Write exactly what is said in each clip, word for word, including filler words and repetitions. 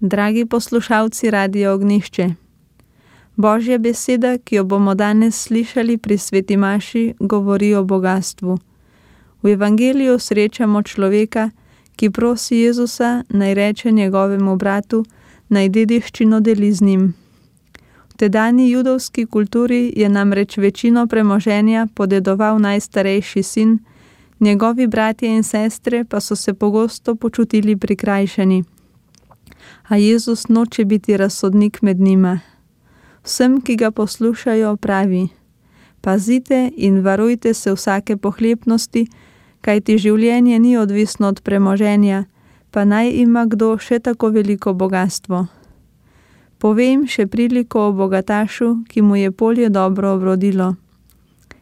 Dragi poslušalci Radia Ognjišče, Božja beseda, ki jo bomo danes slišali pri sveti maši, govori o bogastvu. V evangeliju srečamo človeka, ki prosi Jezusa, naj reče njegovemu bratu, naj dediščino deli z njim. V tedanji judovski kulturi je namreč večino premoženja podedoval najstarejši sin, njegovi bratje in sestre pa so se pogosto počutili prikrajšani. A Jezus noče biti razsodnik med njima. Vsem, ki ga poslušajo, pravi: pazite in varujte se vsake pohlepnosti, kajti življenje ni odvisno od premoženja, pa naj ima kdo še tako veliko bogastvo. Povem še priliko o bogatašu, ki mu je polje dobro obrodilo.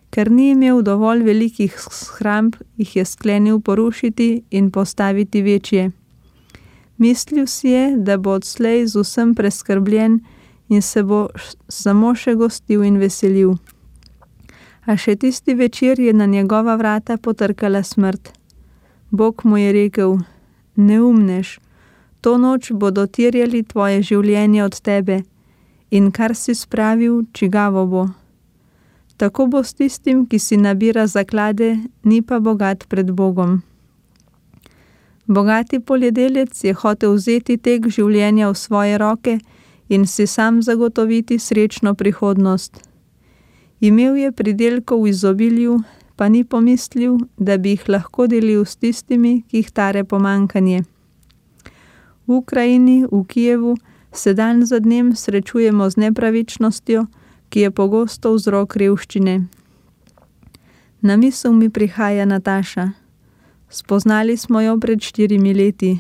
Ker ni imel dovolj velikih shramb, jih je sklenil porušiti in postaviti večje. Mislil si je, da bo odslej z vsem preskrbljen in se bo samo še gostil in veselil. A še tisti večer je na njegova vrata potrkala smrt. Bog mu je rekel: neumnež, to noč bodo terjali tvoje življenje od tebe in kar si spravil, čigavo bo. Tako bo s tistim, ki si nabira zaklade, ni pa bogat pred Bogom. Bogati poljedelec je hotel vzeti tek življenja v svoje roke in si sam zagotoviti srečno prihodnost. Imel je pridelkov v izobilju, pa ni pomislil, da bi jih lahko delil s tistimi, ki jih tare pomanjkanje. V Ukrajini, v Kijevu, se dan za dnem srečujemo z nepravičnostjo, ki je pogosto vzrok revščine. Na misel mi prihaja Nataša. Spoznali smo jo pred štirimi leti.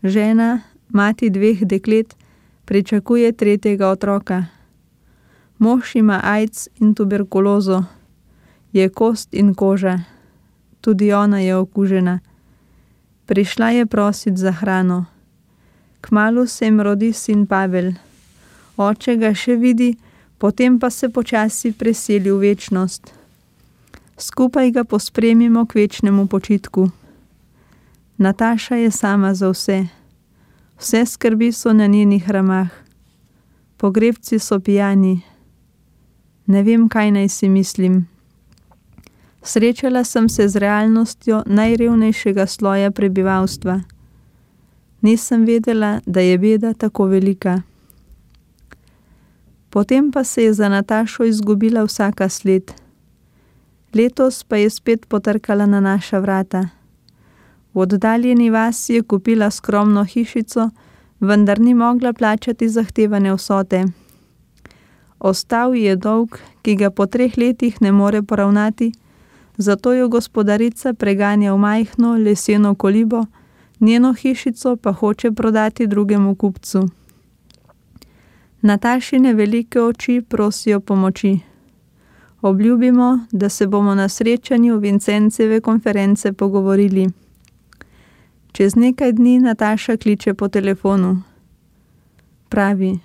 Žena, mati dveh deklet, pričakuje tretjega otroka. Mož ima AIDS in tuberkulozo. Je kost in koža. Tudi ona je okužena. Prišla je prosit za hrano. Kmalu se jim rodi sin Pavel. Oče ga še vidi, potem pa se počasi preseli v večnost. Skupaj ga pospremimo k večnemu počitku. Nataša je sama za vse. Vse skrbi so na njenih ramah. Pogrebci so pijani. Ne vem, kaj naj si mislim. Srečala sem se z realnostjo najrevnejšega sloja prebivalstva. Nisem vedela, da je beda tako velika. Potem pa se je za Natašo izgubila vsaka sled. Letos pa je spet potrkala na naša vrata. V oddaljeni vasi je kupila skromno hišico, vendar ni mogla plačati zahtevane vsote. Ostal je dolg, ki ga po treh letih ne more poravnati, zato jo gospodarica preganja v majhno leseno kolibo, njeno hišico pa hoče prodati drugemu kupcu. Natašine velike oči prosijo pomoči. Obljubimo, da se bomo na srečanju Vincenceve konference pogovorili. Čez nekaj dni Nataša kliče po telefonu. Pravi: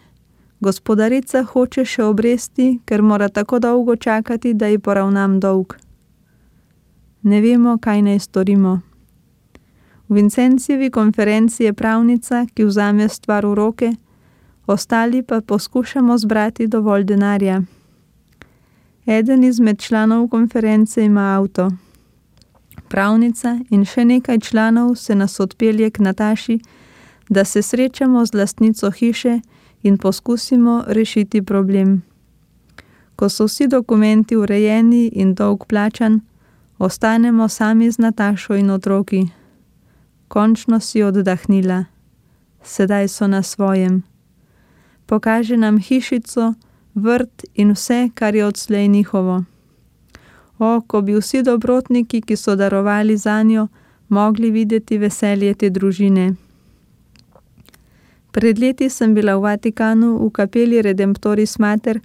gospodarica hoče še obresti, ker mora tako dolgo čakati, da ji poravnam dolg. Ne vemo, kaj naj storimo. V Vincencevi konferenci je pravnica, ki vzame stvar v roke, ostali pa poskušamo zbrati dovolj denarja. Eden izmed članov konference ima avto. Pravnica in še nekaj članov se nas odpelje k Nataši, da se srečamo z lastnico hiše in poskusimo rešiti problem. Ko so vsi dokumenti urejeni in dolg plačan, ostanemo sami z Natašo in otroki. Končno si oddahnila. Sedaj so na svojem. Pokaže nam hišico, vrt in vse, kar je odslej njihovo. O, ko bi vsi dobrotniki, ki so darovali zanjo, mogli videti veselje te družine. Pred leti sem bila v Vatikanu v kapeli Redemptoris Mater,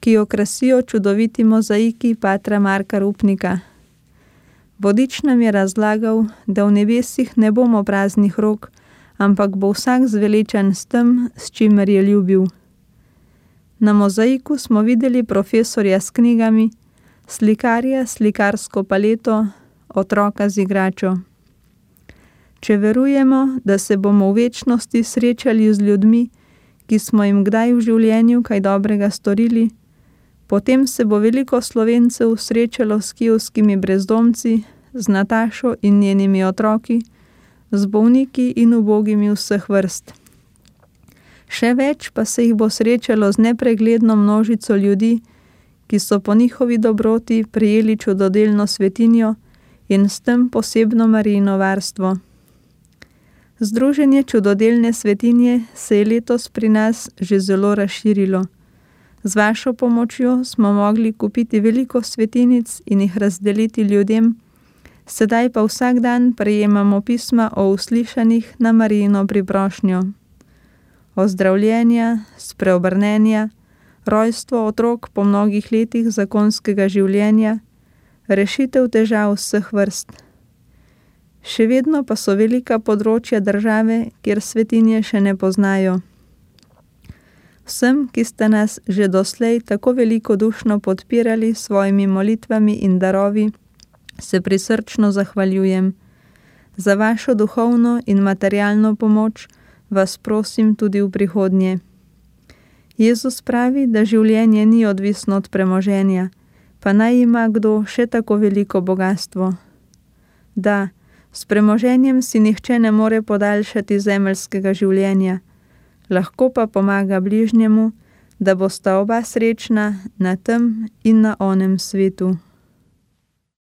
ki jo krasijo čudoviti mozaiki patra Marka Rupnika. Vodič nam je razlagal, da v nebesih ne bomo praznih rok, ampak bo vsak zveličan s tem, s čimer je ljubil. Na mozaiku smo videli profesorja s knjigami, slikarja s slikarsko paleto, otroka z igračo. Če verujemo, da se bomo v večnosti srečali z ljudmi, ki smo jim kdaj v življenju kaj dobrega storili, potem se bo veliko Slovencev srečalo s kijevskimi brezdomci, z Natašo in njenimi otroki, z bolniki in ubogimi vseh vrst. Še več pa se jih bo srečalo z nepregledno množico ljudi, ki so po njihovi dobroti prejeli čudodelno svetinjo in s tem posebno Marijino varstvo. Združenje čudodelne svetinje se je letos pri nas že zelo razširilo. Z vašo pomočjo smo mogli kupiti veliko svetinic in jih razdeliti ljudem, sedaj pa vsak dan prejemamo pisma o uslišanih na Marijino priprošnjo. Ozdravljenja, spreobrnenja, rojstvo otrok po mnogih letih zakonskega življenja, rešitev težav vseh vrst. Še vedno pa so velika področja države, kjer svetinje še ne poznajo. Vsem, ki ste nas že doslej tako velikodušno podpirali s svojimi molitvami in darovi, se prisrčno zahvaljujem. Za vašo duhovno in materialno pomoč vas prosim tudi v prihodnje. Jezus pravi, da življenje ni odvisno od premoženja, pa naj ima kdo še tako veliko bogastvo. Da, s premoženjem si nihče ne more podaljšati zemeljskega življenja, lahko pa pomaga bližnjemu, da bosta oba srečna na tem in na onem svetu.